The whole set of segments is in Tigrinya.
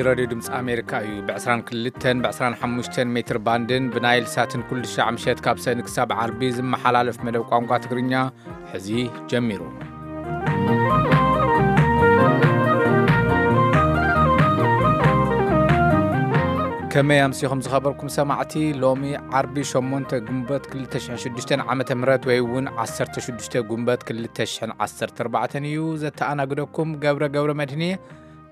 ሬድዮ ድምፂ ኣሜሪካ እዩ። ብ22፣ ብ25 ሜትር ባንድን ብናይል ሳትን ኩሉ ሻዕ ምሸት ካብ ሰኒ ክሳብ ዓርቢ ዝመሓላለፍ መደብ ቋንቋ ትግርኛ ሕዚ ጀሚሩ። ከመይ ኣምሲኹም ዝኸበርኩም ሰማዕቲ? ሎሚ ዓርቢ ሸሞንተ ግንቦት ክልተ ሽሕን ሽዱሽተን ዓመተ ምህረት ወይ እውን ዓሰርተ ሽዱሽተ ግንቦት ክልተ ሽሕን ዓሰርተ ኣርባዕተን እዩ። ዘተኣናግደኩም ገብረ ገብረ መድህን እየ።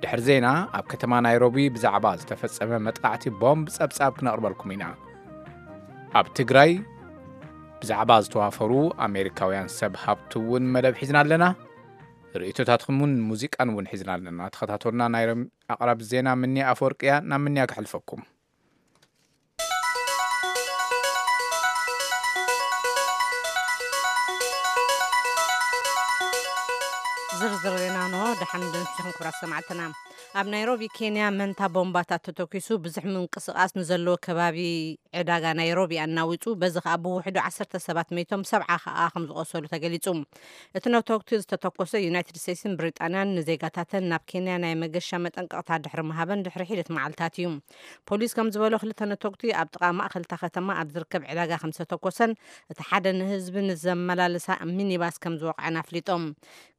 ድሕሪ ዜና፣ ኣብ ከተማ ናይሮቢ ብዛዕባ ዝተፈጸመ መጥቃዕቲ ቦምብ ጸብጻብ ክነቕርበልኩም ኢና። ኣብ ትግራይ ብዛዕባ ዝተዋፈሩ ኣሜሪካውያን ሰብ ሃብቲ እውን መደብ ሒዝና ኣለና። ርእይቶታትኩም እውን ሙዚቃን እውን ሒዝና ኣለና። ተኸታተሉና። ናይ ሮም-፣ ኣቕራቢ ዜና ምንያ ኣፈወርቅያ። ናብ ምንያ ክሕልፈኩም። ዝርዝር ዜና እንሆ። ደሓን ደምሲኹም ክቡራት ሰማዕትና። ኣብ ናይሮቢ ኬንያ መንታ ቦምባታት ተተኲሱ ብዙሕ ምንቅስቓስ ንዘለዎ ከባቢ ዕዳጋ ናይሮቢ ኣናዊጹ፣ በዚ ኸኣ ብውሕዱ ዓሰርተ ሰባት መይቶም፣ ሰብዓ ኸኣ ከም ዝቖሰሉ ተገሊጹ። እቲ ነተኩቲ ዝተተኮሰ ዩናይትድ ስቴትስን ብሪጣንያን ንዜጋታተን ናብ ኬንያ ናይ መገሻ መጠንቀቕታ ድሕሪ ምሃበን ድሕሪ ሒደት መዓልታት እዩ። ፖሊስ ከም ዝበሎ ክልተ ነተኩቲ ኣብ ጥቓ ማእኸል እታ ከተማ ኣብ ዝርከብ ዕዳጋ ከም ዝተተኮሰን እቲ ሓደ ንህዝቢ ንዘመላልሳ ሚኒባስ ከም ዝወቕዐን ኣፍሊጦም።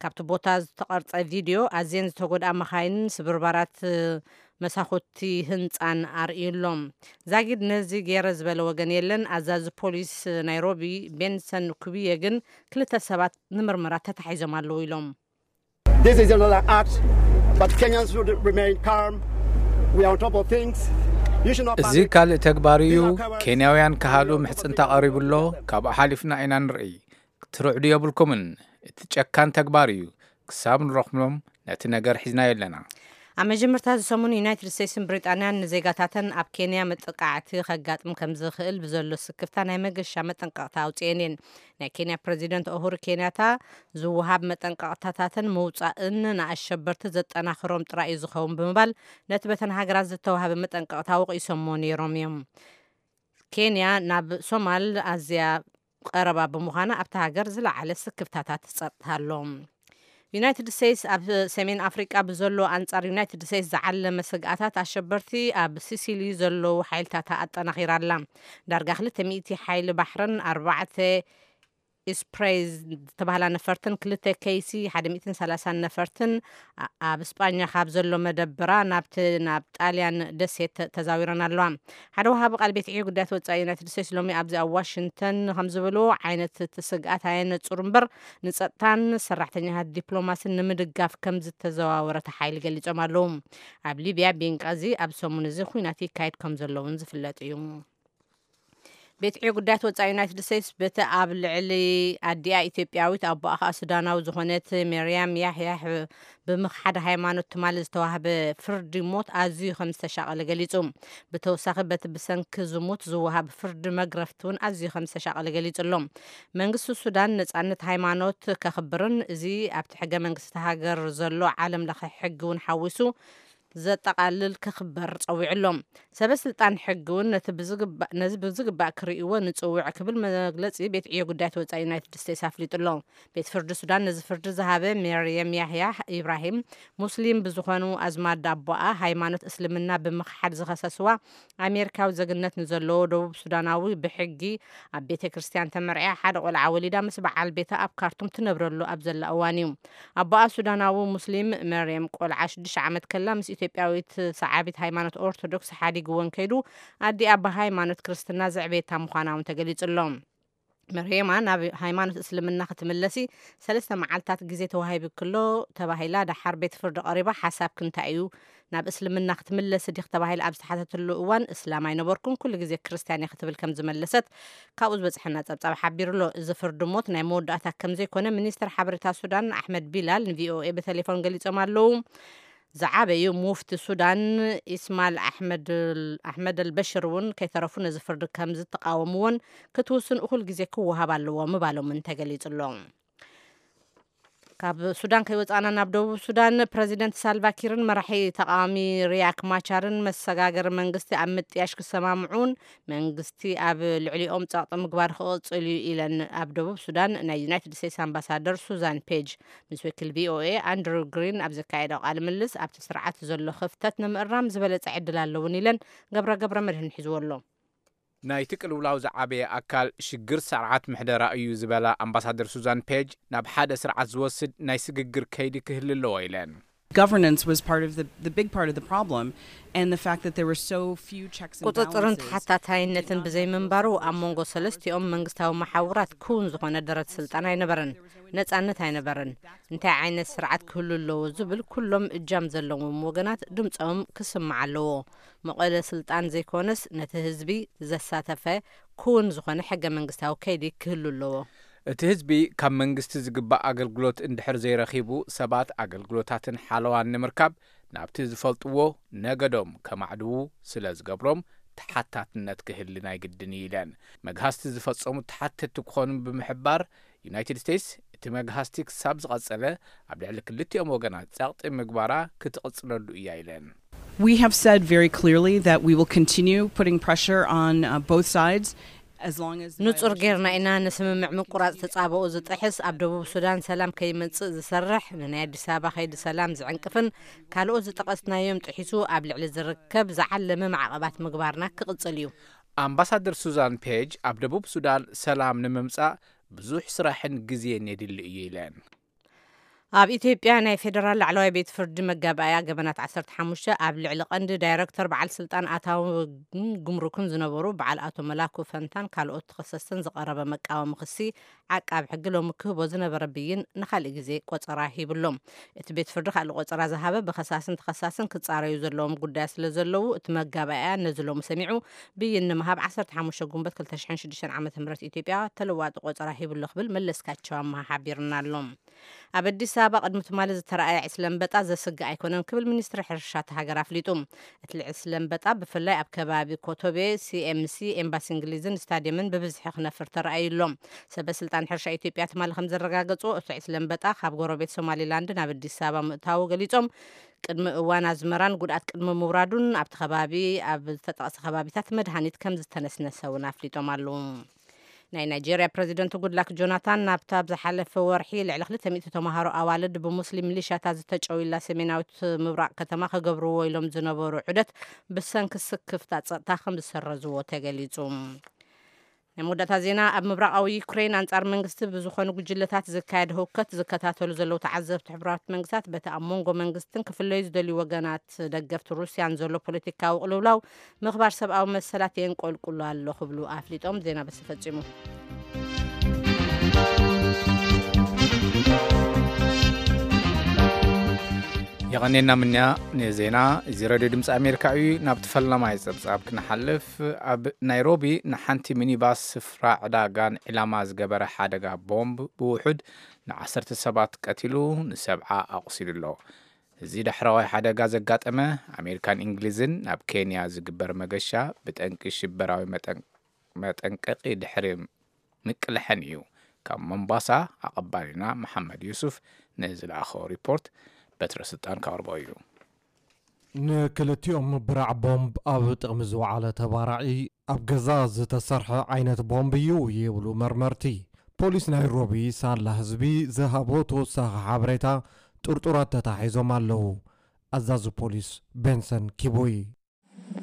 ካብቲ ቦታ ዝተቐርጸ ቪድዮ ኣዝየን ዝተጎድኣ መኻይንን ስብርባራት መሳኹቲ ህንጻን ኣርእዩ ኣሎ። ዛጊድ ነዚ ገይረ ዝበለ ወገን የለን። ኣዛዚ ፖሊስ ናይሮቢ ቤንሰን ኩብየ ግን ክልተ ሰባት ንምርመራ ተታሒዞም ኣለዉ ኢሎም። This is another act, but Kenyans should remain calm. We are on top of things. You should not እዚ panic. ካልእ ተግባር እዩ። ኬንያውያን ክሃድኡ ምሕጽንታ ቀሪቡ ኣሎ። ካብኡ ሓሊፍና ኢና ንርኢ። ክትርዕዱ የብልኩምን። እቲ ጨካን ተግባር እዩ። ክሳብ ንረኽቦም ነቲ ነገር ሒዝናዮ ኣለና። ኣብ መጀመርታ እዚ ሰሙን ዩናይትድ ስቴትስን ብሪጣንያን ንዜጋታተን ኣብ ኬንያ መጥቃዕቲ ከጋጥም ከም ዝኽእል ብዘሎ ስክፍታ ናይ መገሻ መጠንቀቕታ ኣውጽኤን እየን። ናይ ኬንያ ፕረዚደንት ኡሁሩ ኬንያታ ዝወሃብ መጠንቀቕታታትን ምውጻእን ንኣሸበርቲ ዘጠናኽሮም ጥራይ እዩ ዝኸውን ብምባል ነቲ በተን ሃገራት ዝተዋህበ መጠንቀቕታ ወቒሶሞ ነይሮም እዮም። ኬንያ ናብ ሶማል ኣዝያ ቀረባ ብምዃና ኣብታ ሃገር ዝለዓለ ስክፍታታት ጸጥታ ኣሎ። ዩናይትድ ስቴትስ ኣብ ሰሜን ኣፍሪቃ ብዘሎ ኣንጻር ዩናይትድ ስቴትስ ዝዓለመ ስግኣታት ኣሸበርቲ ኣብ ሲሲሊ ዘለዉ ሓይልታታ ኣጠናኺራ ኣላ። ዳርጋ ክልተ ሚእቲ ሓይሊ ባሕርን ኣርባዕተ ኢስፕሬይ ዝተባህላ ነፈርትን ክልተ ኬሲ ሓደ ሚእትን ሰላሳን ነፈርትን ኣ-፣ ኣብ ስጳኛ ካብ ዘሎ መደብራ ናብቲ ናብ ጣልያን ደሴት ተ-፣ ተዛዊረን ኣለዋ። ሓደ ወሃቢ ቃል ቤት ዕዮ ጉዳያት ወጻኢ ዩናይትድ ስቴትስ ሎሚ ኣብዚ ኣብ ዋሽንግተን ከም ዝበልዎ ዓይነት እቲ ስግኣት ኣየነጹር እምበር ንጸጥታን ሰራሕተኛታት ዲፕሎማስን ንምድጋፍ ከም ዝተዘዋወረ እቲ ሓይሊ ገሊጾም ኣለዉ። ኣብ ሊብያ ቤንቃዚ ኣብ ሰሙን እዚ ኲናት ይካየድ ከም ዘሎ እውን ዝፍለጥ እዩ። ቤት ዕዮ ጉዳያት ወጻኢ ዩናይትድ ስቴትስ በቲ ኣብ ልዕሊ ኣዲኣ ኢትዮጵያዊት ኣቦኣ ኸኣ ሱዳናዊ ዝኾነት ሜርያም ያሕያሕ ብምኽሓድ ሃይማኖት ትማሊ ዝተዋህበ ፍርዲ ሞት ኣዝዩ ከም ዝተሻቐለ ገሊጹ። ብተወሳኺ በቲ ብሰንኪ ዝሙት ዝወሃብ ፍርዲ መግረፍቲ እውን ኣዝዩ ከም ዝተሻቐለ ገሊጹ ኣሎ። መንግስቲ ሱዳን ነጻነት ሃይማኖት ከኽብርን እዚ ኣብቲ ሕገ መንግስቲ ሃገር ዘሎ ዓለም ለኸ ሕጊ እውን ሓዊሱ ዘጠቓልል ክኽበር ጸዊዑ ኣሎ። ሰበ ስልጣን ሕጊ እውን ነቲ ብዝግባእ፣ ነዚ ብዝግባእ ክርእይዎ ንጽውዕ ክብል መግለጺ ቤት ዕዮ ጉዳያት ወጻኢ ዩናይትድ ስቴትስ ኣፍሊጡ ኣሎ። ቤት ፍርዲ ሱዳን ነዚ ፍርዲ ዝሃበ ሜርየም ያህያ ኢብራሂም ሙስሊም ብዝኾኑ ኣዝማድ ኣቦኣ ሃይማኖት እስልምና ብምኽሓድ ዝኸሰስዋ ኣሜሪካዊ ዜግነት ንዘለዎ ደቡብ ሱዳናዊ ብሕጊ ኣብ ቤተ ክርስቲያን ተመርዕያ ሓደ ቆልዓ ወሊዳ ምስ በዓል ቤታ ኣብ ካርቱም ትነብረሉ ኣብ ዘላ እዋን እዩ። ኣቦኣ ሱዳናዊ ሙስሊም መርየም ቆልዓ ሽዱሽተ ዓመት ከላ ምስ ኢትዮጵያዊት ሰዓቢት ሃይማኖት ኦርቶዶክስ ሓዲግወን ከይዱ ኣዲኣ ብሃይማኖት ክርስትና ዘዕበየታ ምዃና እውን ተገሊጹ ኣሎ። መርየማ ናብ ሃይማኖት እስልምና ክትምለሲ ሰለስተ መዓልታት ግዜ ተዋሂቡ ክሎ ተባሂላ፣ ደሓር ቤት ፍርዲ ቀሪባ ሓሳብኪ እንታይ እዩ? ናብ እስልምና ክትምለሲ ዲኺ ተባሂላ ኣብ ዝተሓተተሉ እዋን፣ እስላም ኣይነበርኩን፣ ኩሉ ግዜ ክርስትያን እየ ክትብል ከም ዝመለሰት ካብኡ ዝበጽሐና ጸብጻብ ሓቢሩ ኣሎ። እዚ ፍርዲ ሞት ናይ መወዳእታ ከም ዘይኮነ ሚኒስተር ሓበሬታ ሱዳን ኣሕመድ ቢላል ንቪኦኤ ብቴሌፎን ገሊጾም ኣለዉ። ዝዓበዩ ሙፍቲ ሱዳን ኢስማል ኣሕመድ፣ ኣሕመድ ኣልበሽር እውን ከይተረፉ ነዚ ፍርዲ ከም ዝተቃወምዎን ክትውስን እኹል ግዜ ክወሃብ ኣለዎ ምባሎምን ተገሊጹ ኣሎ። ካብ ሱዳን ከይወፃእና ናብ ደቡብ ሱዳን፣ ፕረዚደንት ሳልቫኪርን መራሒ ተቃዋሚ ሪያክ ማቻርን መሰጋገሪ መንግስቲ ኣብ ምጥያሽ ክሰማምዑን መንግስቲ ኣብ ልዕሊኦም ጸቕጢ ምግባር ክቕጽል እዩ ኢለን ኣብ ደቡብ ሱዳን ናይ ዩናይትድ ስቴትስ ኣምባሳደር ሱዛን ፔጅ። ምስ ወኪል ቪኦኤ ኣንድሩ ግሪን ኣብ ዘካየደው ቃለ ምልልስ፣ ኣብቲ ስርዓት ዘሎ ክፍተት ንምእራም ዝበለጸ ዕድል ኣለውን ኢለን። ገብረ ገብረ መድህን ሒዝዎ ኣሎ። ናይቲ ቅልውላው ዝዓበየ ኣካል ሽግር ስርዓት ምሕደራ እዩ ዝበላ ኣምባሳደር ሱዛን ፔጅ፣ ናብ ሓደ ስርዓት ዝወስድ ናይ ስግግር ከይዲ ክህሊ ኣለዎ ኢለን። Governance was part of the, the big part of the problem, and the fact that there were so few checks and ቁፅፅርን balances. ተሓታታይነትን ብዘይምንባሩ፣ ኣብ መንጎ ሰለስቲኦም መንግስታዊ መሓውራት ክውን ዝኾነ ደረት ስልጣን ኣይነበረን፣ ነፃነት ኣይነበረን። እንታይ ዓይነት ስርዓት ክህሉ ኣለዎ ዝብል ኩሎም እጃም ዘለዎም ወገናት ድምፆም ክስማዕ ኣለዎ። መቐለ ስልጣን ዘይኮነስ፣ ነቲ ህዝቢ ዘሳተፈ ክውን ዝኾነ ሕገ መንግስታዊ ከይዲ ክህሉ ኣለዎ። እቲ ህዝቢ ካብ መንግስቲ ዝግባእ ኣገልግሎት እንድሕር ዘይረኺቡ፣ ሰባት ኣገልግሎታትን ሓለዋን ንምርካብ ናብቲ ዝፈልጥዎ ነገዶም ከማዕድዉ ስለ ዝገብሮም፣ ተሓታትነት ክህሊ ናይ ግድን እዩ ኢለን። መግሃስቲ ዝፈጸሙ ተሓተትቲ ክኾኑ ብምሕባር፣ ዩናይትድ ስቴትስ እቲ መግሃስቲ ክሳብ ዝቐጸለ ኣብ ልዕሊ ክልቲኦም ወገናት ጸቕጢ ምግባራ ክትቕጽለሉ እያ ኢለን። We have said very clearly that we will continue putting pressure on uh, both sides as long as the ንጹር violations ጌርና ኢና። continue. ንስምምዕ ምቁራጽ ተጻብኦ ዝጥሕስ፣ ኣብ ደቡብ ሱዳን ሰላም ከይመጽእ ዝሰርሕ፣ ንናይ ኣዲስ ኣበባ ከይዲ ሰላም ዝዕንቅፍን ካልኦት ዝጠቐስናዮም ጥሒሱ ኣብ ልዕሊ ዝርከብ ዝዓለመ ማዕቐባት ምግባርና ክቕጽል እዩ። ኣምባሳደር ሱዛን ፔጅ ኣብ ደቡብ ሱዳን ሰላም ንምምጻእ ብዙሕ ስራሕን ግዜን የድሊ እዩ ኢለን። ኣብ ኢትዮጵያ ናይ ፌዴራል ላዕለዋይ ቤት ፍርዲ መጋባእያ ገበናት ዓሰርተ ሓሙሽተ ኣብ ልዕሊ ቀንዲ ዳይረክተር በዓል ስልጣን ኣታውን ጉምሩክን ዝነበሩ በዓል ኣቶ መላኩ ፈንታን ካልኦት ተኸሰስትን ዝቐረበ መቃወሚ ክሲ፣ ዓቃቢ ሕጊ ሎሚ ክህቦ ዝነበረ ብይን ንኻልእ ግዜ ቆጸራ ሂብሎም። እቲ ቤት ፍርዲ ካልእ ቆጸራ ዝሃበ፣ ብኸሳስን ተኸሳስን ክጻረዩ ዘለዎም ጉዳያት ስለ ዘለዉ፣ እቲ መጋባእያ ነዚ ሎሚ ሰሚዑ ብይን ንምሃብ ዓሰርተ ሓሙሽተ ጉንበት ክልተ ሽሕን ሽዱሽተን ዓመተ ምህረት ኢትዮጵያ ተለዋጢ ቆጸራ ሂብሎ ክብል መለስካቸው ኣመሃ ሓቢርና ኣሎ። ኣብ ኣዲስ ኣበባ ቅድሚ ትማሊ ዝተረኣየ ዕስለ ኣንበጣ ዘስግእ ኣይኮነን ክብል ሚኒስትሪ ሕርሻ እታ ሃገር ኣፍሊጡ። እቲ ዕስለ ኣንበጣ ብፍላይ ኣብ ከባቢ ኮቶቤ፣ ሲኤምሲ፣ ኤምባሲ እንግሊዝን ስታድየምን ብብዝሒ ክነፍር ተራእዩ ኣሎ። ሰበ ስልጣን ሕርሻ ኢትዮጵያ ትማሊ ከም ዘረጋገጹ፣ እቲ ዕስለ ኣንበጣ ካብ ጎረቤት ሶማሊላንድ ናብ ኣዲስ ኣበባ ምእታዉ ገሊጾም። ቅድሚ እዋን ኣዝመራን ጉድኣት ቅድሚ ምውራዱን ኣብቲ ከባቢ ኣብ ዝተጠቕሰ ከባቢታት መድሃኒት ከም ዝተነስነሰ እውን ኣፍሊጦም ኣለዉ። ናይ ናይጄርያ ፕረዚደንት ጉድላክ ጆናታን ናብታ ኣብ ዝሓለፈ ወርሒ ልዕሊ ክልተ ሚእቲ ተምሃሮ ኣዋልድ ብሙስሊም ሚሊሻታት ዝተጨውዩላ ሰሜናዊት ምብራቕ ከተማ ክገብርዎ ኢሎም ዝነበሩ ዑደት ብሰንኪ ስክፍታ ጸጥታ ከም ዝሰረዝዎ ተገሊጹ። ናይ መወዳእታ ዜና። ኣብ ምብራቓዊ ዩክሬን ኣንጻር መንግስቲ ብዝኾኑ ጉጅለታት ዝካየድ ህውከት ዝከታተሉ ዘለዉ ተዓዘብቲ፣ ሕቡራት መንግስታት በቲ ኣብ መንጎ መንግስትን ክፍለዩ ዝደልዩ ወገናት ደገፍቲ ሩስያን ዘሎ ፖለቲካዊ ቅልውላው ምኽባር ሰብኣዊ መሰላት የንቆልቁሎ ኣሎ ክብሉ ኣፍሊጦም። ዜና በዚ ፈጺሙ። የቐኔና ምንያ ንዜና። እዚ ሬድዮ ድምፂ ኣሜሪካ እዩ። ናብቲ ፈላማይ ፀብፃብ ክንሓልፍ፣ ኣብ ናይሮቢ ንሓንቲ ሚኒባስ ስፍራ ዕዳጋን ዒላማ ዝገበረ ሓደጋ ቦምብ ብውሑድ ንዓሰርተ ሰባት ቀቲሉ፣ ንሰብዓ ኣቑሲሉ ኣሎ። እዚ ዳሕረዋይ ሓደጋ ዘጋጠመ፣ ኣሜሪካን እንግሊዝን ናብ ኬንያ ዝግበር መገሻ ብጠንቂ ሽበራዊ መጠን መጠንቀቂ ድሕሪ ምቅልሐን እዩ። ካብ ሞምባሳ ኣቐባሊና መሓመድ ዩሱፍ ንዝለኣኸ ሪፖርት በትረ ስልጣን ከቕርቦ እዩ። ንክልቲኦም ብራዕ ቦምብ ኣብ ጥቕሚ ዝወዓለ ተባራዒ ኣብ ገዛ ዝተሰርሐ ዓይነት ቦምብ እዩ ይብሉ መርመርቲ። ፖሊስ ናይሮቢ ሳላ ህዝቢ ዝሃቦ ተወሳኺ ሓበሬታ፣ ጥርጡራት ተታሒዞም ኣለዉ። ኣዛዚ ፖሊስ ቤንሰን ኪቡይ።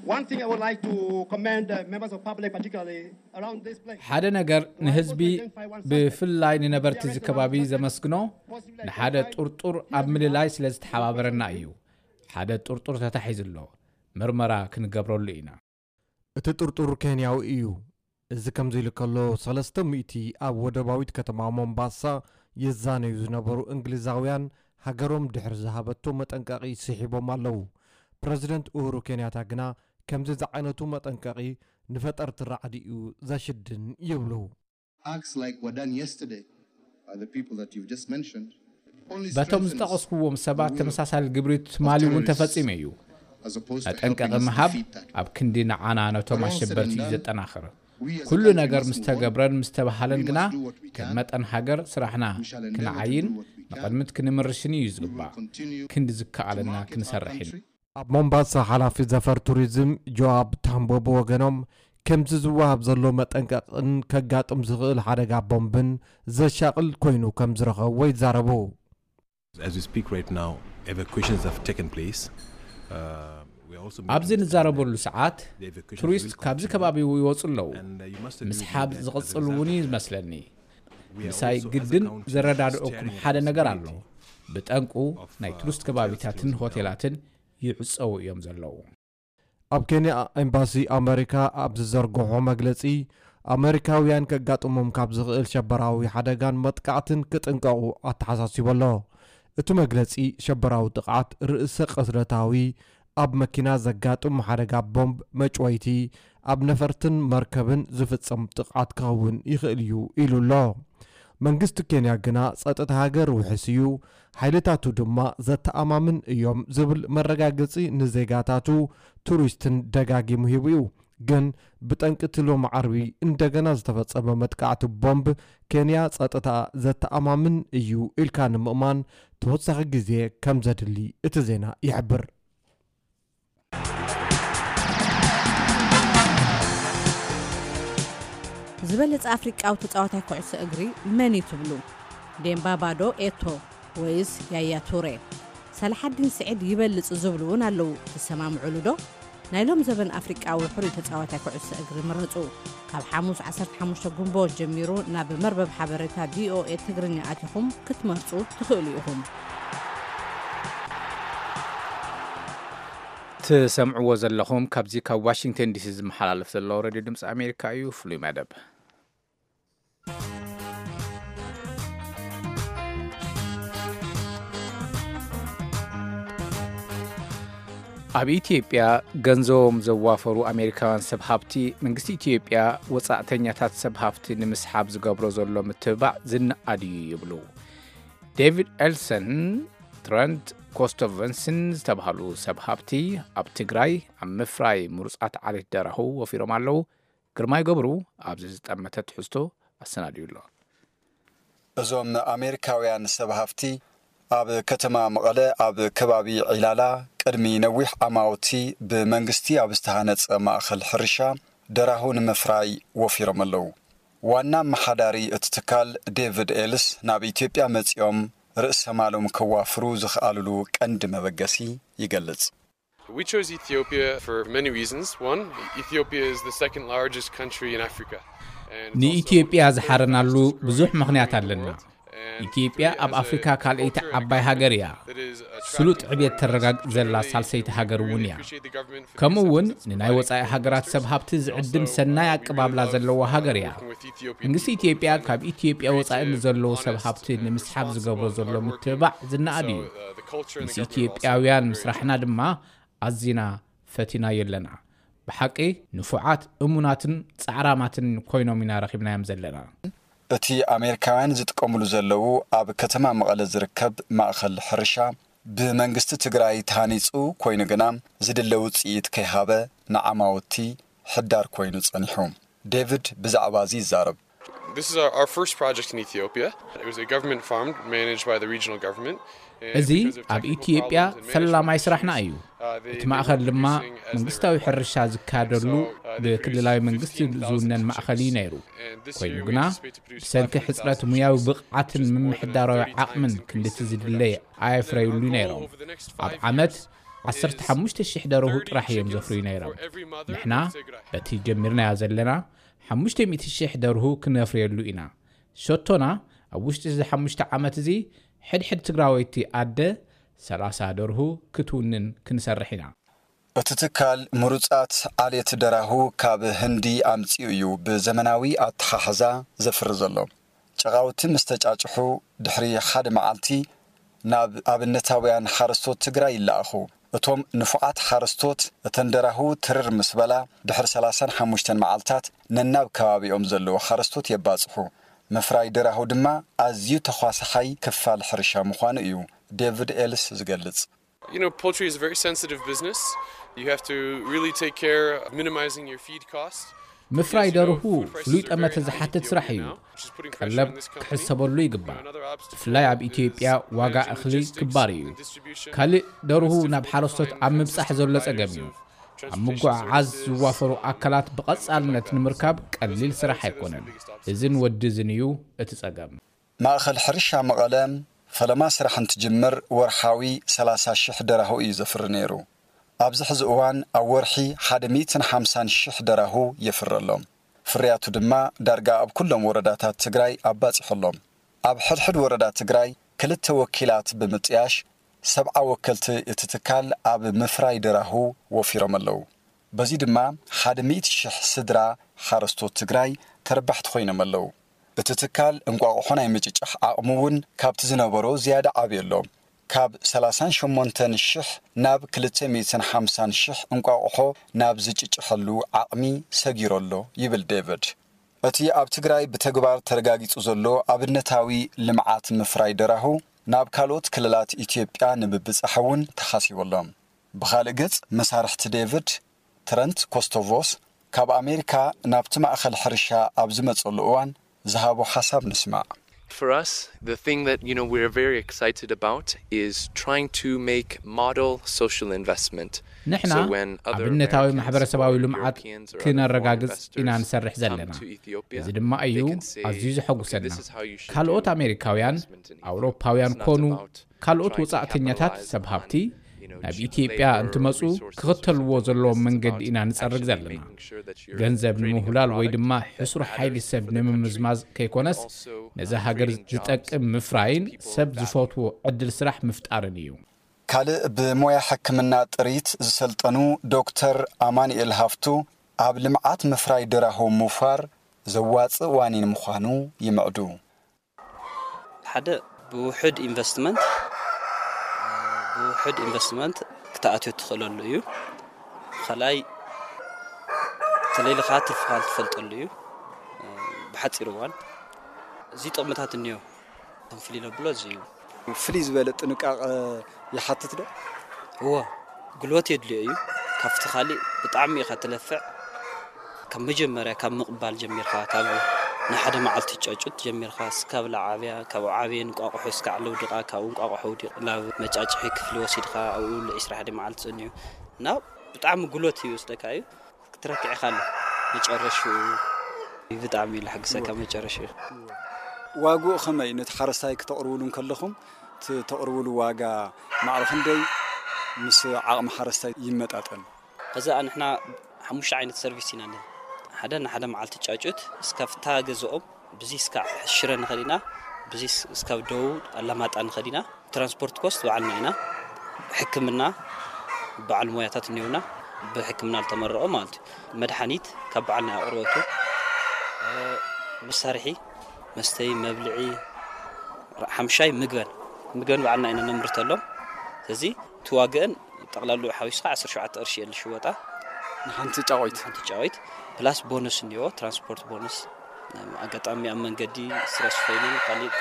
One thing I would like to commend uh, members of public, particularly around this place. ሓደ ነገር ንህዝቢ፣ ብፍላይ ንነበርቲ እዚ ከባቢ ዘመስግኖ፣ ንሓደ ጥርጡር ኣብ ምልላይ ስለ ዝተሓባበረና እዩ። ሓደ ጥርጡር ተታሒዙ ኣሎ። ምርመራ ክንገብረሉ ኢና። እቲ ጥርጡር ኬንያዊ እዩ። እዚ ከምዚ ኢሉ ከሎ፣ ሰለስተ ሚእቲ ኣብ ወደባዊት ከተማ ሞምባሳ ይዛነዩ ዝነበሩ እንግሊዛውያን፣ ሃገሮም ድሕሪ ዝሃበቶ መጠንቀቒ ስሒቦም ኣለዉ። ፕረዚደንት ኡሁሩ ኬንያታ ግና፣ ከምዚ ዝዓይነቱ መጠንቀቒ ንፈጠርቲ ራዕዲ እዩ ዘሽድን ይብሉ። Acts like were done yesterday by the people that you've just mentioned only በቶም strengthens ዝጠቐስኩዎም ሰባት the will ተመሳሳሊ ግብሪ ትማሊ እውን ተፈጺሙ እዩ። as opposed to helping መጠንቀቒ us ምሃብ defeat that. ኣብ ክንዲ ንዓና ነቶም When all said ኣሸበርቲ and እዩ done, ዘጠናኽር። We as a ኩሉ country ነገር must ምስ move on. ተገብረን ምስ ተባህለን We ግና፣ must do what we ከም can. መጠን ሃገር ስራሕና We shall endeavor to ክንዓይን do what we ንቕድሚት ክንምርሽን እዩ ዝግባእ። ክንዲ ዝከኣለና ክንሰርሕን። ኣብ ሞምባሳ ሓላፊ ዘፈር ቱሪዝም ጆኣብ ታምቦ ብወገኖም፣ ከምዚ ዝወሃብ ዘሎ መጠንቀቕን ከጋጥም ዝኽእል ሓደጋ ቦምብን ዘሻቕል ኮይኑ ከም ዝረኸብዎ ይዛረቡ። As we speak right now, evacuations have taken place. Uh, we are also making ኣብዚ understand ንዛረበሉ that ሰዓት the evacuations ቱሪስት will ካብዚ continue. ከባቢ ይወፁ ኣለዉ። And, uh, you must ምስሓብ agree that as a ዝቕፅል እውን result እዩ of that, ዝመስለኒ። we are ምሳይ also, as a ግድን country, ዘረዳድኦኩም staring at ሓደ ነገር ኣሎ። the possibility ብጠንቁ of, ናይ uh, ቱሪስት hotels ከባቢታትን closing down. ሆቴላትን ይዕፀዉ እዮም ዘለዉ። ኣብ ኬንያ ኤምባሲ ኣመሪካ ኣብ ዝዘርግሖ መግለጺ፣ ኣመሪካውያን ከጋጥሞም ካብ ዝኽእል ሸበራዊ ሓደጋን መጥቃዕትን ክጥንቀቑ ኣተሓሳሲቡ ኣሎ። እቲ መግለጺ፣ ሸበራዊ ጥቕዓት ርእሰ ቅትለታዊ፣ ኣብ መኪና ዘጋጥም ሓደጋ ቦምብ፣ መጭወይቲ፣ ኣብ ነፈርትን መርከብን ዝፍጸም ጥቕዓት ክኸውን ይኽእል እዩ ኢሉ ኣሎ። መንግስቲ ኬንያ ግና ጸጥታ ሃገር ውሕስ እዩ፣ ሓይልታቱ ድማ ዘተኣማምን እዮም ዝብል መረጋገጺ ንዜጋታቱ ቱሪስትን ደጋጊሙ ሂቡ እዩ። ግን ብጠንቂ እቲ ሎሚ ዓርቢ እንደገና ዝተፈጸመ መጥቃዕቲ ቦምብ ኬንያ ጸጥታ ዘተኣማምን እዩ ኢልካ ንምእማን ተወሳኺ ግዜ ከም ዘድሊ እቲ ዜና ይሕብር። ዝበለጸ ኣፍሪቃዊ ተጻዋታይ ኩዕሶ እግሪ መን እዩ ትብሉ? ዴምባባ ዶ ኤቶ ወይስ ያያ ቱሬ? ሳላሓዲን ስዒድ ይበልጽ ዝብሉ እውን ኣለዉ። ትሰማምዑሉ ዶ? ናይ ሎም ዘበን ኣፍሪቃዊ ሕሩይ ተጻዋታይ ኩዕሶ እግሪ ምረጹ። ካብ ሓሙስ ዓሰርተ ሓሙሽተ ግንቦት ጀሚሩ ናብ መርበብ ሓበሬታ ቪኦኤ ትግርኛ ኣቲኹም ክትመርጹ ትኽእሉ ኢኹም። ትሰምዕዎ ዘለኹም ካብዚ ካብ ዋሽንግተን ዲሲ ዝመሓላለፍ ዘሎ ሬድዮ ድምፂ ኣሜሪካ እዩ። ፍሉይ መደብ። ኣብ ኢትዮጵያ ገንዘቦም ዘዋፈሩ ኣሜሪካውያን ሰብ ሃብቲ መንግስቲ ኢትዮጵያ ወጻእተኛታት ሰብ ሃብቲ ንምስሓብ ዝገብሮ ዘሎ ምትብባዕ ዝነኣድ እዩ ይብሉ። ዴቪድ ኤልሰን፣ ትረንት ኮስቶቨንስን ዝተባህሉ ሰብ ሃብቲ ኣብ ትግራይ ኣብ ምፍራይ ምሩጻት ዓሌት ደራሁ ወፊሮም ኣለዉ። ግርማይ ገብሩ ኣብዚ ዝጠመተ ትሕዝቶ ኣሰናድዩ ኣሎ። እዞም ኣሜሪካውያን ሰብ ሃፍቲ ኣብ ከተማ መቐለ ኣብ ከባቢ ዒላላ ቅድሚ ነዊሕ ዓማውቲ ብመንግስቲ ኣብ ዝተሃነፀ ማእኸል ሕርሻ ደራሁ ንምፍራይ ወፊሮም ኣለዉ። ዋና ኣመሓዳሪ እቲ ትካል ዴቪድ ኤልስ ናብ ኢትዮጵያ መፂኦም ርእሰ ማሎም ከዋፍሩ ዝኸኣልሉ ቀንዲ መበገሲ ይገልፅ። We chose Ethiopia for many reasons. One, Ethiopia is the second largest country in Africa. And it's also ንኢትዮጵያ the third ዝሓረናሉ fastest growing ብዙሕ ምኽንያት country in the ኣለና። world. And ኢትዮጵያ three, ኣብ as a ኣፍሪካ ካልኣይቲ culture and ዓባይ economy ሃገር እያ። that is ስሉጥ attractive ዕብየት for ተረጋግ foreigners. ዘላ Generally, ሳልሰይቲ we ሃገር እውን really እያ። appreciate the government for the ከምኡ እውን acceptance of ንናይ providing ወጻኢ foreign ሃገራት ሰብ investors. ሃብቲ ዝዕድም Also, ሰናይ we ኣቀባብላ really love ዘለዋ ሃገር እያ። working with Ethiopian መንግስቲ people. ኢትዮጵያ Ethiopia ካብ ኢትዮጵያ ወጻኢ creative, ንዘለዉ ሰብ honest, ሃብቲ and ንምስሓብ responsible ዝገብሮ and ዘሎ hardworking ምትብባዕ people. ዝነኣድ So, እዩ። uh, the culture and the ምስ government are all ኢትዮጵያውያን very ምስራሕና different. ድማ ኣዚና ፈቲናዮ ኣለና። ብሓቂ ንፉዓት፣ እሙናትን ጻዕራማትን ኮይኖም ኢና ረኺብናዮም ዘለና። እቲ ኣሜሪካውያን ዝጥቀምሉ ዘለዉ ኣብ ከተማ መቐለ ዝርከብ ማእኸል ሕርሻ ብመንግስቲ ትግራይ ተሃኒፁ ኮይኑ ግና ዝድለ ውፅኢት ከይሃበ ንዓማውቲ ሕዳር ኮይኑ ጸኒሑ። ዴቪድ ብዛዕባ እዚ ይዛረብ። This is our, our first project in Ethiopia. It was a government farm managed by the regional government. And እዚ because of ኣብ technical ኢትዮጵያ problems and ፈላማይ management ስራሕና issues, እዩ። uh, they, እቲ they ማእኸል weren't ድማ producing as they were መንግስታዊ hoping. ሕርሻ ዝካየደሉ So, uh, they ብክልላዊ produced መንግስቲ fifteen thousand ዝውነን chickens. ማእኸል እዩ ነይሩ። And this ኮይኑ year we ግና anticipate to produce ብሰንኪ five hundred thousand ሕፅረት ሙያዊ chickens, ብቕዓትን which is more than a ምምሕዳራዊ thirty times ዓቕምን increase ክንድቲ in ዝድለየ production. ኣየፍረዩሉ And our goal ነይሮም። over the next ኣብ five ዓመት years ዓሰርተ is ሓሙሽተ ሽሕ ደርሁ thirty ጥራሕ እዮም chickens ዘፍርዩ ነይሮም። for every mother ንሕና in Tigray. በቲ ጀሚርናዮ ዘለና ሓሙሽተ ሚእቲ ሽሕ ደርሁ ክነፍርየሉ ኢና። ሸቶና ኣብ ውሽጢ እዚ ሓሙሽተ ዓመት እዚ ሕድሕድ ትግራወይቲ ኣደ ሰላሳ ደርሁ ክትውንን ክንሰርሕ ኢና። እቲ ትካል ምሩጻት ዓሌት ደራሁ ካብ ህንዲ ኣምጺኡ እዩ ብዘመናዊ ኣተሓሕዛ ዘፍሪ ዘሎ። ጨቓውቲ ምስ ተጫጭሑ ድሕሪ ሓደ መዓልቲ ናብ ኣብነታውያን ሓረስቶት ትግራይ ይለኣኹ። እቶም ንፉዓት ሓረስቶት እተን ደራሁ ትርር ምስ በላ ድሕሪ ሰላሳን ሓሙሽተን መዓልታት ነናብ ከባቢኦም ዘለዉ ሓረስቶት የባጽሑ። ምፍራይ ደራሁ ድማ ኣዝዩ ተዃሳሓይ ክፋል ሕርሻ ምዃኑ እዩ ዴቪድ ኤልስ ዝገልጽ። You know, poultry is a very sensitive business. You have to really take care of minimizing your feed cost. ምፍራይ ደርሁ ፍሉይ ጠመተ ዝሓትት ስራሕ እዩ። ቀለብ ክሕሰበሉ ይግባእ። ብፍላይ ኣብ ኢትዮጵያ ዋጋ እኽሊ ክባር እዩ። ካልእ ደርሁ ናብ ሓረስቶት ኣብ ምብጻሕ ዘሎ ጸገም እዩ። ኣብ ምጉዕዓዝ ዝዋፈሩ ኣካላት ብቐጻልነት ንምርካብ ቀሊል ስራሕ ኣይኮነን። እዝን ወዲ እዝን እዩ እቲ ጸገም። ማእኸል ሕርሻ መቐለ ፈለማ ስራሕ እንትጅምር ወርሓዊ ሰላሳ ሽሕ ደራሁ እዩ ዘፍሪ ነይሩ። ኣብዚ ሕዚ እዋን ኣብ ወርሒ ሓደ ሚእትን ሓምሳን ሽሕ ደራሁ የፍሪ ኣሎ። ፍርያቱ ድማ ዳርጋ ኣብ ኩሎም ወረዳታት ትግራይ ኣባፂሑ ኣሎ። ኣብ ሕድሕድ ወረዳ ትግራይ ክልተ ወኪላት ብምጥያሽ ሰብዓ ወከልቲ እቲ ትካል ኣብ ምፍራይ ደራሁ ወፊሮም ኣለዉ። በዚ ድማ ሓደ ሚእቲ ሽሕ ስድራ ሓረስቶት ትግራይ ተረባሕቲ ኮይኖም ኣለዉ። እቲ ትካል እንቋቑሖ ናይ ምጭጫሕ ዓቕሚ እውን ካብቲ ዝነበሮ ዝያዳ ዓብዩ ኣሎ። ካብ ሰላሳን ሸሞንተን ሽሕ ናብ ክልተ ሚእትን ሓምሳን ሽሕ እንቋቑሖ ናብ ዝጭጭሐሉ ዓቕሚ ሰጊሩ ኣሎ ይብል ዴቪድ። እቲ ኣብ ትግራይ ብተግባር ተረጋጊጹ ዘሎ ኣብነታዊ ልምዓት ምፍራይ ደራሁ ናብ ካልኦት ክልላት ኢትዮጵያ ንምብጻሕ እውን ተሓሲቡ ኣሎ። ብኻልእ ገጽ መሳርሕቲ ዴቪድ ትረንት ኮስቶቮስ ካብ ኣሜሪካ ናብቲ ማእኸል ሕርሻ ኣብ ዝመጸሉ እዋን ዝሃቦ ሓሳብ ንስማዕ። For us, the thing that you know we're very excited about is trying to make model social investment. ንሕና ኣብነታዊ ማሕበረሰባዊ ልምዓት ክነረጋግጽ ኢና ንሰርሕ ዘለና። እዚ ድማ እዩ ኣዝዩ ዘሐጉሰና። ካልኦት ኣሜሪካውያን፣ ኣውሮፓውያን ኮኑ ካልኦት ወጻእተኛታት ሰብ ሃብቲ ናብ ኢትዮጵያ እንትመጹ ክኽተልዎ ዘለዎም መንገዲ ኢና ንጸርግ ዘለና። ገንዘብ ንምውህላል ወይ ድማ ሕሱር ሓይሊ ሰብ ንምምዝማዝ ከይኮነስ፣ ነዛ ሃገር ዝጠቅም ምፍራይን ሰብ ዝፈትዎ ዕድል ስራሕ ምፍጣርን እዩ። ካልእ ብሞያ ሕክምና ጥሪት ዝሰልጠኑ ዶክተር ኣማኑኤል ሃፍቱ፣ ኣብ ልምዓት ምፍራይ ደራሁ ምውፋር ዘዋጽእ ዋኒን ምዃኑ ይምዕዱ። ሓደ ብውሕድ ኢንቨስትመንት ብውሕድ ኢንቨስትመንት ክትኣትዮ ትኽእለሉ እዩ። ካልኣይ ተለይልኻ ትርፍኻ ትፈልጠሉ እዩ። ብሓፂር እዋን እዚ ጥቕምታት እኒኦ። ከም ፍልይ ለብሎ እዚ እዩ። ፍልይ ዝበለ ጥንቃቐ ይሓትት ዶ? እወ፣ ጉልበት የድልዮ እዩ። ካብቲ ካሊእ ብጣዕሚ ኢኻ ትለፍዕ። ካብ መጀመርያ ካብ ምቕባል ጀሚርካ፣ ካብ ንሓደ መዓልቲ ጫጩት ጀሚርካ እስካብ ላዓብያ፣ ካብ ዓብየ እንቋቑሖ እስካዕ ለውድቓ፣ ካብኡ እንቋቑሖ ኣውዲቕ ናብ መጫጭሒ ክፍሊ ወሲድካ ኣብኡ ዒስራ ሓደ መዓልቲ ጸኒሑ እና ብጣዕሚ ጉልበት ይወስደካ እዩ። ክትረክዕ ኢኻ ኣሎ መጨረሽኡ ብጣዕሚ እዩ ለሓግሰካ መጨረሽኡ። ዋግኡ ከመይ ነቲ ሓረስታይ ክተቕርብሉ እንከለኹም እቲ ተቕርብሉ ዋጋ ማዕረ ክንደይ ምስ ዓቕሚ ሓረስታይ ይመጣጠን? ከዛ ንሕና ሓሙሽተ ዓይነት ሰርቪስ ኢና ንህብ። ሓደ ንሓደ መዓልቲ ጫጩት እስካብ ፍታ ገዝኦም ብዚ እስካብ ሽረ ንኸድ ኢና፣ ብዚ እስካብ ደቡብ ኣላማጣ ንኸድ ኢና። ትራንስፖርት ኮስት ባዕልና ኢና። ሕክምና በዓል ሞያታት እኒውና ብሕክምና ዝተመረቐ ማለት እዩ። መድሓኒት ካብ በዓልና ኣቕርበቱ፣ መሳርሒ መስተይ፣ መብልዒ፣ ሓምሻይ ምግበን ምግበን በዓልና ኢና ነምርተሎም። ስለዚ እቲ ዋግአን ጠቕላሉ ሓዊስካ ዓሰርተ ሸውዓተ ቅርሺ እየ ዝሽወጣ። ንሓንቲ ጫቆይት ሓንቲ ጫቆይት ፕላስ ቦነስ እኒኦ፣ ትራንስፖርት ቦነስ። ኣጋጣሚ ኣብ መንገዲ ስትረስ ኮይነን ካሊእ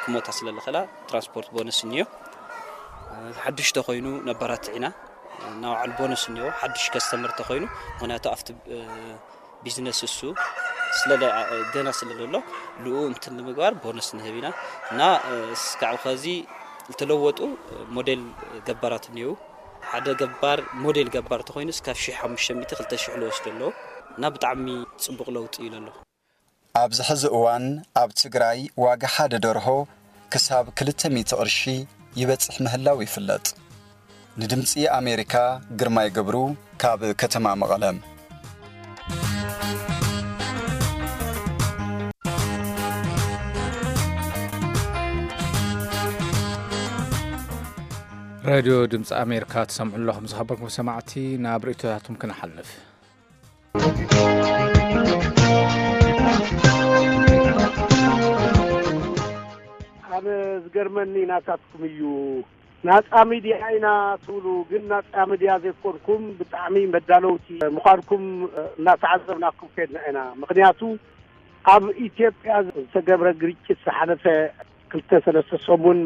ክሞታ ስለ ዝኽእላ ትራንስፖርት ቦነስ እኒኦ። ሓዱሽ ተኮይኑ ነባራት ኢና ናባዕሉ ቦነስ እኒኦ፣ ሓዱሽ ከስተመር ተኮይኑ። ምክንያቱ ኣብቲ ቢዝነስ እሱ ስለ ገና ስለ ዘሎ ልኡ እንትን ንምግባር ቦነስ ንህብ ኢና እና እስካዕ ከዚ ዝተለወጡ ሞዴል ገባራት እኒው ሓደ ገባር ሞዴል ገባር ተኮይኑ እስካብ ሽሕ ሓሙሽተ ሚእቲ ክልተ ሽሕ ልወስዶ ኣለዉ እና ብጣዕሚ ፅቡቅ ለውጢ እዩ ዘሎ። ኣብዚ ሕዚ እዋን ኣብ ትግራይ ዋጋ ሓደ ደርሆ ክሳብ ክልተ ሚእቲ ቅርሺ ይበጽሕ ምህላው ይፍለጥ። ንድምጺ ኣሜሪካ ግርማይ ገብሩ ካብ ከተማ መቐለ። ሬድዮ ድምፂ ኣሜሪካ ትሰምዑ ኣለኹም። ዝኸበርኩም ሰማዕቲ፣ ናብ ርእይቶታትኩም ክንሓልፍ። ኣነ ዝገርመኒ ናታትኩም እዩ። ናፃ ሚድያ ኢና ትብሉ፣ ግን ናፃ ሚድያ ዘይኮንኩም ብጣዕሚ መዳለውቲ ምዃንኩም እናተዓዘብናኩም ከድና ኢና። ምኽንያቱ ኣብ ኢትዮጵያ ዝተገብረ ግርጭት ዝሓለፈ ክልተ ሰለስተ ሰሙን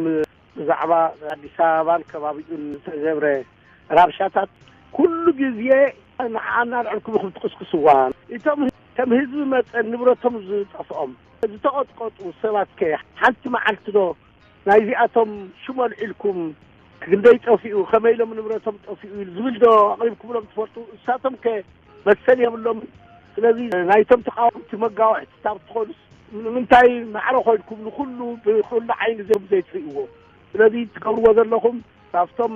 ብዛዕባ ኣዲስ ኣበባን ከባቢኡን ዝተገብረ ራብሻታት ኩሉ ግዜ ንዓና ልዕልኩም ኢኹም ትቅስቅስዋ። እቶም ከም ህዝቢ መጠን ንብረቶም ዝጠፍኦም፣ ዝተቐጥቀጡ ሰባት ከ ሓንቲ መዓልቲ ዶ ናይዚኣቶም ሽም ኣልዒልኩም ክንደይ ጠፊኡ፣ ከመይ ኢሎም ንብረቶም ጠፊኡ ዝብል ዶ ኣቕሪብኩምሎም ትፈልጡ? እሳቶም ከ መሰል የብሎምን። ስለዚ ናይቶም ተቓወምቲ መጋውሕቲ ካብ ትኾኑስ፣ ንምንታይ ማዕረ ኮይንኩም ንኹሉ ብኹሉ ዓይኒ ዞም ዘይትርእይዎ? ስለዚ ትገብርዎ ዘለኹም ካብቶም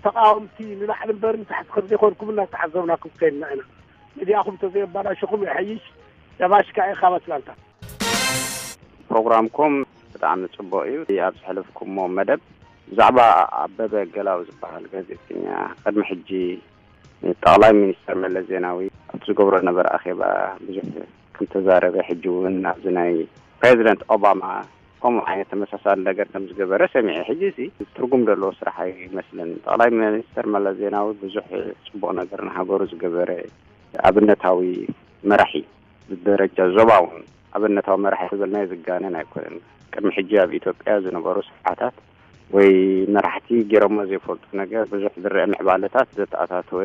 ተቓወምቲ ንላዕሊ እምበር ንታሕቲ ከም ዘይኮንኩም እናተዓዘብናኩም ከይድና ኢና። ሚድያኹም ተዘየባላሸኹም ይሐይሽ። ደማሽካ ኢኻ ኣትላንታ። ፕሮግራምኩም ብጣዕሚ ጽቡቕ እዩ። ኣብ ዘሕለፍኩሞ መደብ ብዛዕባ ኣበበ ገላው ዝበሃል ጋዜጠኛ ቅድሚ ሕጂ ጠቕላይ ሚኒስተር መለስ ዜናዊ ኣብቲ ዝገብሮ ነበረ ኣኼባ ብዙሕ ከም ተዛረበ፣ ሕጂ እውን ኣብዚ ናይ ፕሬዚደንት ኦባማ ከምኡ ዓይነት ተመሳሳሊ ነገር ከም ዝገበረ ሰሚዐ። ሕጂ እዚ ትርጉም ዘለዎ ስራሕ ኣይመስልን። ጠቕላይ ሚኒስተር መለስ ዜናዊ ብዙሕ ጽቡቕ ነገር ንሃገሩ ዝገበረ ኣብነታዊ መራሒ፣ ብደረጃ ዞባ እውን ኣብነታዊ መራሒ ክብልናዮ ዝጋነን ኣይኮነን። ቅድሚ ሕጂ ኣብ ኢትዮጵያ ዝነበሩ ስርዓታት ወይ መራሕቲ ገይሮሞ ዘይፈልጡ ነገር፣ ብዙሕ ዝረአ ምዕባለታት ዘተኣታተወ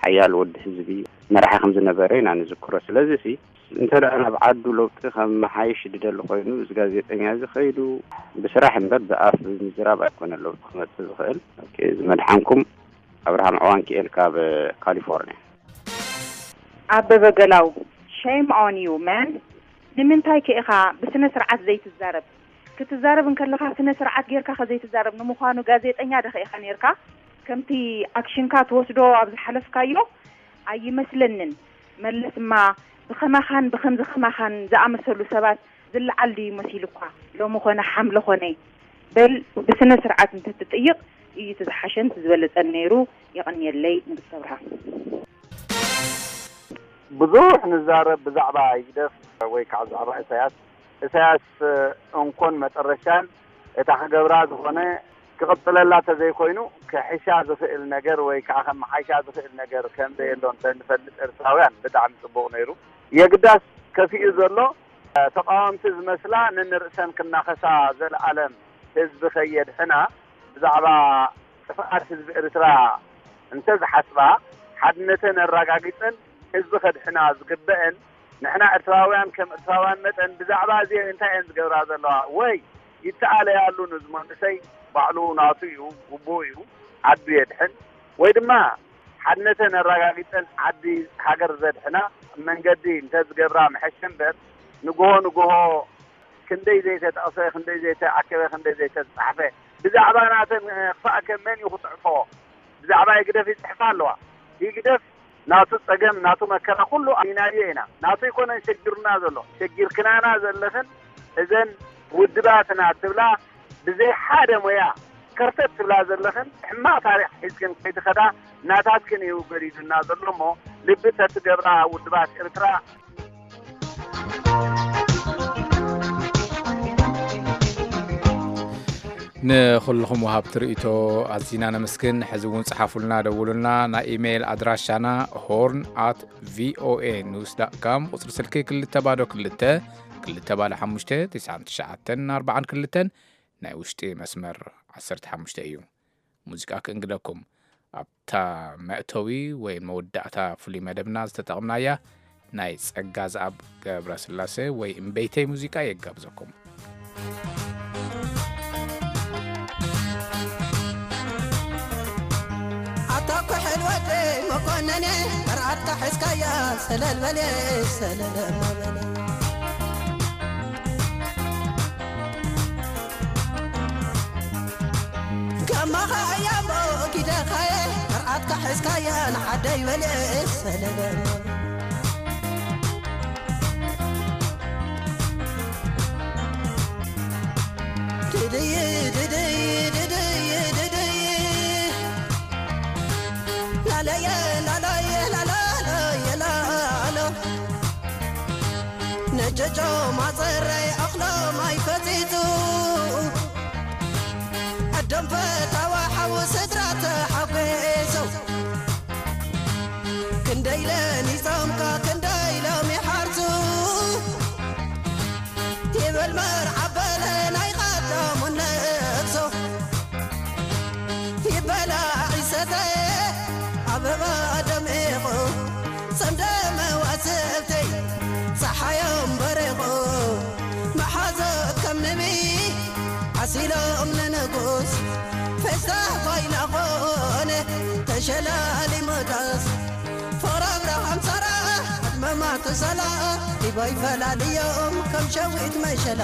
ሓያል ወዲ ህዝቢ መራሒ ከም ዝነበረ ኢና ንዝክሮ። ስለዚ ሲ እንተ ደኣ ናብ ዓዱ ለውጢ ከም መሓይሽ ዝደሊ ኮይኑ፣ እዚ ጋዜጠኛ እዚ ከይዱ ብስራሕ እምበር ብኣፍ ብምዝራብ ኣይኮነ ለውጢ ክመጽእ ዝኽእል። ኦኬ፣ ዝመድሓንኩም ኣብርሃም ዕዋንኪኤል ካብ ካሊፎርኒያ። ኣበበ ገላው፣ shame on you, man. ንምንታይ ከ ኢኻ ብስነ ስርዓት ዘይትዛረብ? ክትዛረብ እንከለኻ ስነ ስርዓት ጌርካ ከ ዘይትዛረብ? ንምዃኑ ጋዜጠኛ ዶ ከ ኢኻ ኔርካ? ከምቲ ኣክሽንካ ትወስዶ ኣብ ዝሓለፍካዮ ኣይመስለንን። መለስማ ብኸማኻን ብኸምዚ ኸማኻን ዝኣመሰሉ ሰባት ዝለዓል ድዩ መሲሉኳ? ሎሚ ኾነ ሓምለ ኾነ። በል ብስነ ስርዓት እንተትጥይቕ እዩ እቲ ዝሓሸን እቲ ዝበለጸን ነይሩ። የቐንየለይ ንግስቲ ኣብርሃ። ብዙሕ ንዛረብ ብዛዕባ ይግደፍ ወይ ከዓ ብዛዕባ ኢሳያስ። ኢሳያስ እንኮን መጠረሻን እታ ክገብራ ዝኾነ ክቕጽለላ ተዘይኮይኑ ክሕሻ ዝኽእል ነገር ወይ ከዓ ከመሓይሻ ዝኽእል ነገር ከም ዘየሎ እንተንፈልጥ ኤርትራውያን ብጣዕሚ ጽቡቕ ነይሩ። የግዳስ ከፊኡ ዘሎ ተቃወምቲ ዝመስላ ነንርእሰን ክናኸሳ ዘለኣለም ህዝቢ ከየድሕና ብዛዕባ ጥፍኣት ህዝቢ ኤርትራ እንተ ዝሓስባ ሓድነተን ኣረጋጊጸን ህዝቢ ከድሕና ዝግበአን ንሕና ኤርትራውያን ከም ኤርትራውያን መጠን ብዛዕባ እዚአን እንታይ እየን ዝገብራ ዘለዋ? ወይ ይተኣለያሉ ንዚ መንእሰይ ባዕሉ ናቱ እዩ፣ ግቡእ እዩ፣ ዓዱ የድሕን። ወይ ድማ ሓድነተን ኣረጋጊጸን ዓዲ ሃገር ዘድሕና መንገዲ እንተ ዝገብራ ምሐሸ እምበር ንግሆ ንግሆ ክንደይ ዘይተጠቕሰ፣ ክንደይ ዘይተኣከበ፣ ክንደይ ዘይተጻሕፈ ብዛዕባ ናተን ክፋእ ከ መን እዩ ክጽሕፎ? ብዛዕባ ህግደፍ ይጽሕፋ ኣለዋ። ህግደፍ ናቱ ጸገም፣ ናቱ መከራ ኩሉ ኣሚናዮ ኢና። ናቱ ኣይኮነን ሸጊሩና ዘሎ፣ ሸጊርክናና ዘለኽን እዘን ውድባትና ትብላ ብዘይ ሓደ ሞያ ከርተት ትብላ ዘለኽን ሕማቕ ታሪኽ ሒዝክን ከይትኸዳ ናታትክን እዩ ገዲዱና ዘሎ እሞ ልቢ ተትገብራ ውድባት ኤርትራ። ንኹልኹም ወሃብቲ ርእይቶ ኣዚና ነመስግን። ሕዚ እውን ጸሓፉልና፣ ደውሉልና። ናይ ኢሜይል ኣድራሻና ሆርን ኣት ቪኦኤ ኒውስ ዳት ካም፣ ቁጽሪ ስልኪ ክልተ ባዶ ክልተ፣ ክልተ ባዶ ሓሙሽተ፣ ትስዓን ትሽዓተን ኣርባዓን ክልተን፣ ናይ ውሽጢ መስመር ዓሰርተ ሓሙሽተ እዩ። ሙዚቃ ክእንግደኩም። ኣብታ መእተዊ ወይ መወዳእታ ፍሉይ መደብና ዝተጠቕምናያ ናይ ጸጋዝኣብ ገብረስላሴ ወይ እምበይተይ ሙዚቃ የጋብዘኩም። ኣታ ኩሕል ወደይ መኮነነ፣ መርዓትካ ሒዝካያ ሰለል በለ፣ ሰለል እሞ በለ። ከማኻ እያ እሞ ኪደኻየ፣ መርዓትካ ሒዝካያ ንዓደይ በለ፣ ሰለል እሞ በለ። ድድይ፣ ድድይ፣ ድድይ፣ ድድይ። ላለየ፣ ላለየ፣ ላላላየ፣ ላሎ። ነጀጆ ማፀረይ ኣኽሎም ኣይፈፂፁ። ኣዶም ፈታዋ ሓው ስድራ ተሓጒሱ። ክንደይ ለኒጾምካ፣ ክንደይ ሎም ይሓርሱ። ይበል መርዓ በለ ናይ ቀደሙ ነብሶ። ይበላ ዒሰተ ኣበባ ደሚቑ፣ ጸምደ መዋስብተይ። ትሰላ ዲባይ ፈላልዮም ከም ሸዊት መሸላ።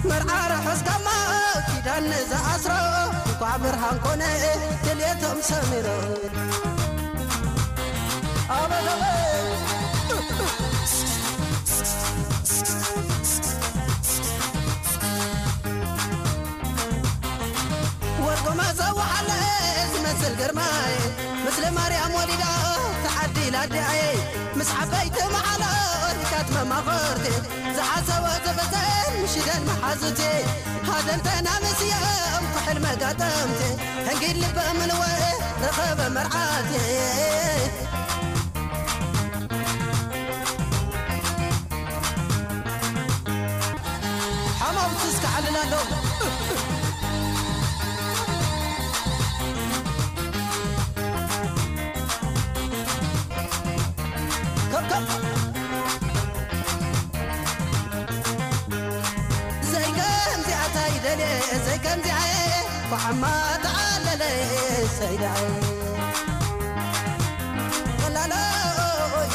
መርዓ ርሑስ ጋማ ኪዳን ንዝኣስሮ እንኳዕ ብርሃን ኮነ ድልየቶም ሰሚሮ። ኣበበበ ወርቆማ ዘወዓለ ዝመስል ግርማይ፣ ምስለ ማርያም ወሊዳ ተዓዲላ ኣዲኣየ፣ ምስ ዓበይቲ መዓላ ወሪዳት መማኽርቲ፣ ዝሓሰቦ ዝፍጽም ሽደን መሓዙቲ፣ ሃደንተና ምስዮም ኩሕል መጋጠምቲ፣ ሕንጊድ ልበ ምልወ ረኸበ መርዓቲ። ሓማውቲ እስከ ዓልል ኣሎ። ከብ ከብ። ዘይከምዚኣታ ይደልየ፣ ዘይከምዚኣ እየ፣ ብዓማ ተዓለለ ሰይዳይ። ወላሎይ።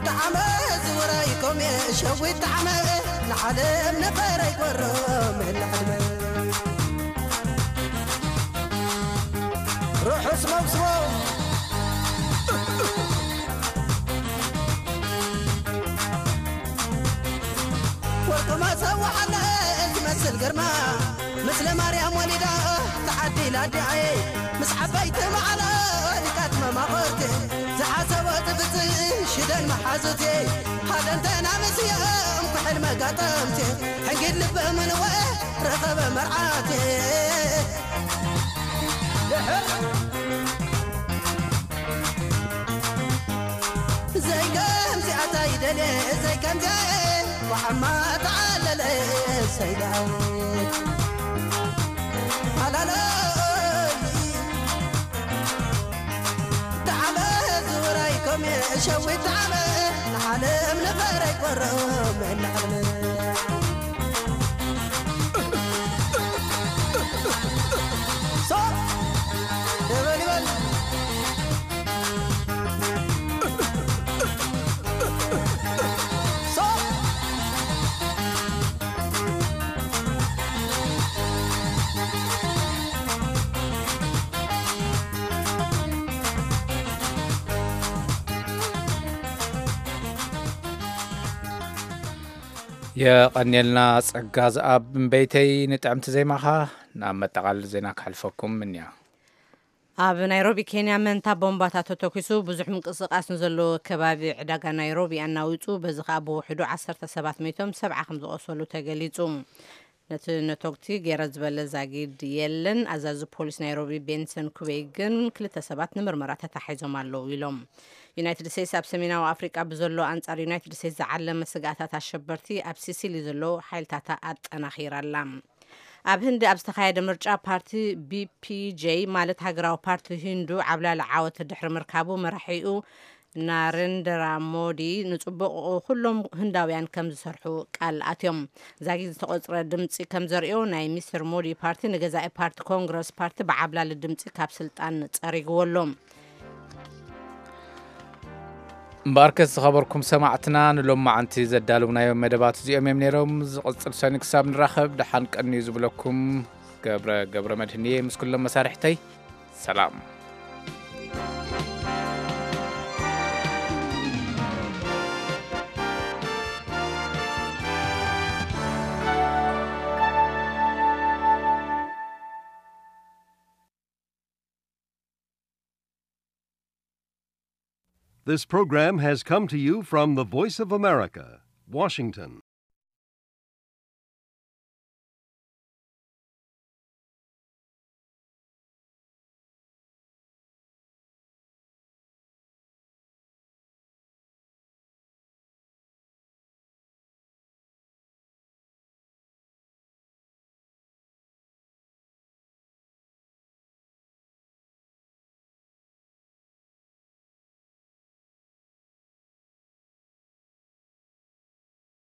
ጣዕመ ዝውራይ ኮሜ ሸዊት ጣዕመ ንዓለም ነበረ ይቆሮም ላዕልመ። ርሑስ መብስቦ። ወርቂ መሰዋዕለ ዝመስል ግርማ፣ ምስለ ማርያም ወሊዳ ተዓዲላ ኣዲኣየ፣ ምስ ዓበይቲ መዓላ ሊቃት መማኽርቲ፣ ዝሓሰቦ ዝፍጽም ሽደን መሓዙቲ፣ ሃደንተና ምስዮም ኩሕል መጋጠምቲ፣ ሕንጊድ ልበ ምንወ ረኸበ መርዓቲ። ድሕር ዘይከምዚኣታ ይደልየ፣ ዘይከምዚኣ ወዓማ ተዓለለ ሰይዳ። ሃላለይ ተዓመ ዝውራይ ኮሜ ሸዊት ተዓመ ንዓለም ነበረ ይቆረም እናዓለም። ሶ ይበል ይበል። ሶ የቐንየልና ጸጋ ዝኣብ እምበይተይ ንጥዕምቲ ዜማኻ። ናብ መጠቓለሊ ዜና ክሕልፈኩም ምንያ። ኣብ ናይሮቢ ኬንያ መንታ ቦምባታት ተተኲሱ ብዙሕ ምንቅስቓስ ንዘለዎ ከባቢ ዕዳጋ ናይሮቢ ኣናዊጹ፣ በዚ ኸኣ ብውሕዱ ዓሰርተ ሰባት ሞይቶም ሰብዓ ከም ዝቖሰሉ ተገሊጹ። ነቲ ነቶግቲ ገይረ ዝበለ ዛጊድ የለን። ኣዛዚ ፖሊስ ናይሮቢ ቤንሰን ኩቤይ ግን ክልተ ሰባት ንምርመራ ተታሒዞም ኣለዉ ኢሎም። ዩናይትድ ስቴትስ ኣብ ሰሜናዊ ኣፍሪቃ ብዘሎ ኣንጻር ዩናይትድ ስቴትስ ዝዓለመ ስግኣታት ኣሸበርቲ ኣብ ሲሲሊ ዘሎ ሓይልታታ ኣጠናኺራ ኣላ። ኣብ ህንዲ ኣብ ዝተኻየደ ምርጫ ፓርቲ ቢፒጄ ማለት ሃገራዊ ፓርቲ ሂንዱ ዓብላሊ ዓወት ድሕሪ ምርካቡ መራሒኡ ናሬንድራ ሞዲ ንጽቡቕ ኩሎም ህንዳውያን ከም ዝሰርሑ ቃል ኣትዮም። ዛጊድ ዝተቖጽረ ድምጺ ከም ዘርእዮ ናይ ሚስተር ሞዲ ፓርቲ ንገዛኢ ፓርቲ ኮንግረስ ፓርቲ ብዓብላሊ ድምጺ ካብ ስልጣን ጸሪግዎ ኣሎ። እምበኣርከስ ዝኸበርኩም ሰማዕትና ንሎማዓንቲ ዘዳለውናዮም መደባት እዚኦም እዮም ነይሮም። ዝቕጽል ሰኒ ክሳብ ንራኸብ ደሓን ቀንዩ ዝብለኩም ገብረ ገብረ መድህን እየ ምስ ኩሎም መሳርሕተይ ሰላም። This program has come to you from the Voice of America, Washington.